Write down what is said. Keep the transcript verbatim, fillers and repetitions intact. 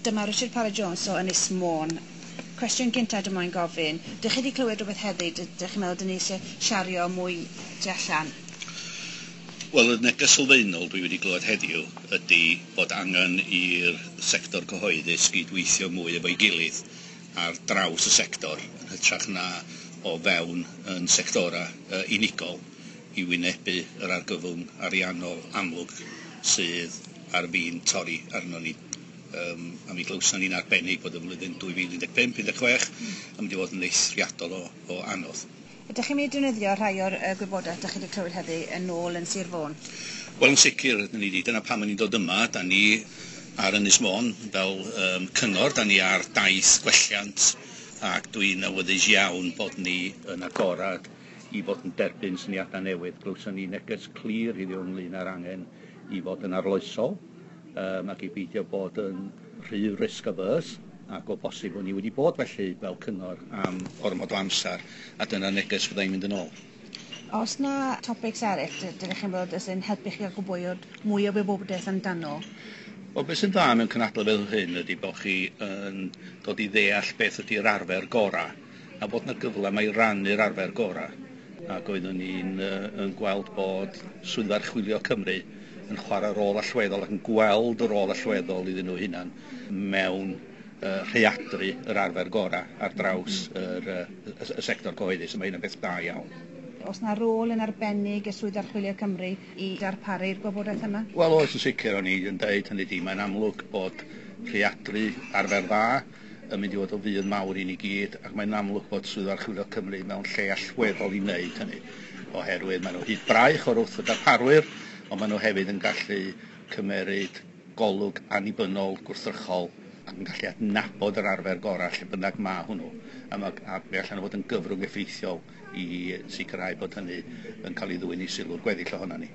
Dyma Richard Parry Jones o Ynys Môn. Cwestiwn gynta dwi moyn gofyn, dych chi wedi clywed rhywbeth heddi, dych chi'n meddwl dyn ni eisiau siario mwy tu allan? Wel, y neges sylfaenol dwi wedi glywed heddiw ydy bod angen i'r sector cyhoeddus gydweithio mwy efo'i gilydd ar draws y sector yn hytrach na o fewn yn sectora uh, unigol i wynebu yr argyfwng ariannol amlwg sydd ar fin torri arno ni. Um, a mi glywson ni'n arbennig bod y flwyddyn dwy fil un deg pump un deg chwech yn mynd i fod yn eithriadol o, o anodd. Ydych chi'n mynd i defnyddio rhai o'r uh, gwybodaeth ydych chi wedi clywed heddi yn ôl yn Sir Fôn? Wel, yn sicr, ydyn ni wedi. Dyna pam ni'n dod yma. Da ni ar Ynys Môn fel um, cyngor, da ni ar daith gwelliant, ac dwi'n awyddus iawn bod ni yn agorad i fod yn derbyn syniadau newydd. Glywson ni neges clir heddiw ynglyn â'r angen i fod yn arloesol um, ac i beidio bod yn rhy risk averse, ac o bosib o'n ni wedi bod felly fel cyngor am ormod o amser, a dyna neges fyddai'n mynd yn ôl. Oes na topics eraill dydych chi'n bod sy'n helpu chi gael gwybod mwy o wybodaeth amdano? Wel, beth sy'n dda mewn cynadledd fel hyn ydy bod chi yn dod i ddeall beth ydy'r arfer gorau, a bod yna gyfle mae i rannu'r arfer gorau. Ac oeddwn ni'n uh, yn gweld bod Swyddfa Archwilio Cymru yn chwarae rôl allweddol ac yn gweld y rôl allweddol iddyn nhw hunan mewn uh, rhaeadru yr arfer gorau ar draws yr, uh, y, y sector cyhoeddus, a mae hynny'n beth da iawn. Oes na rôl yn arbennig y Swyddfa Archwilio Cymru i darparu'r gwybodaeth yma? Wel, oes yn sicr, o'n i yn deud hynny di, mae'n amlwg bod rhaeadru arfer dda yn mynd i fod o fudd mawr i ni gyd, ac mae'n amlwg bod Swyddfa Archwilio Cymru mewn lle allweddol i wneud hynny, oherwydd maen nhw hyd braich o'r wrth y darparwyr, ond maen nhw hefyd yn gallu cymeryd golwg annibynnol, gwrthrychol, ac yn gallu adnabod yr arfer gorau lle bynnag ma hwnnw, a, ma, a mi allan nhw fod yn gyfrwng effeithiol i sicrhau bod hynny yn cael ei ddwyn i sylw'r gweddill ohono ni.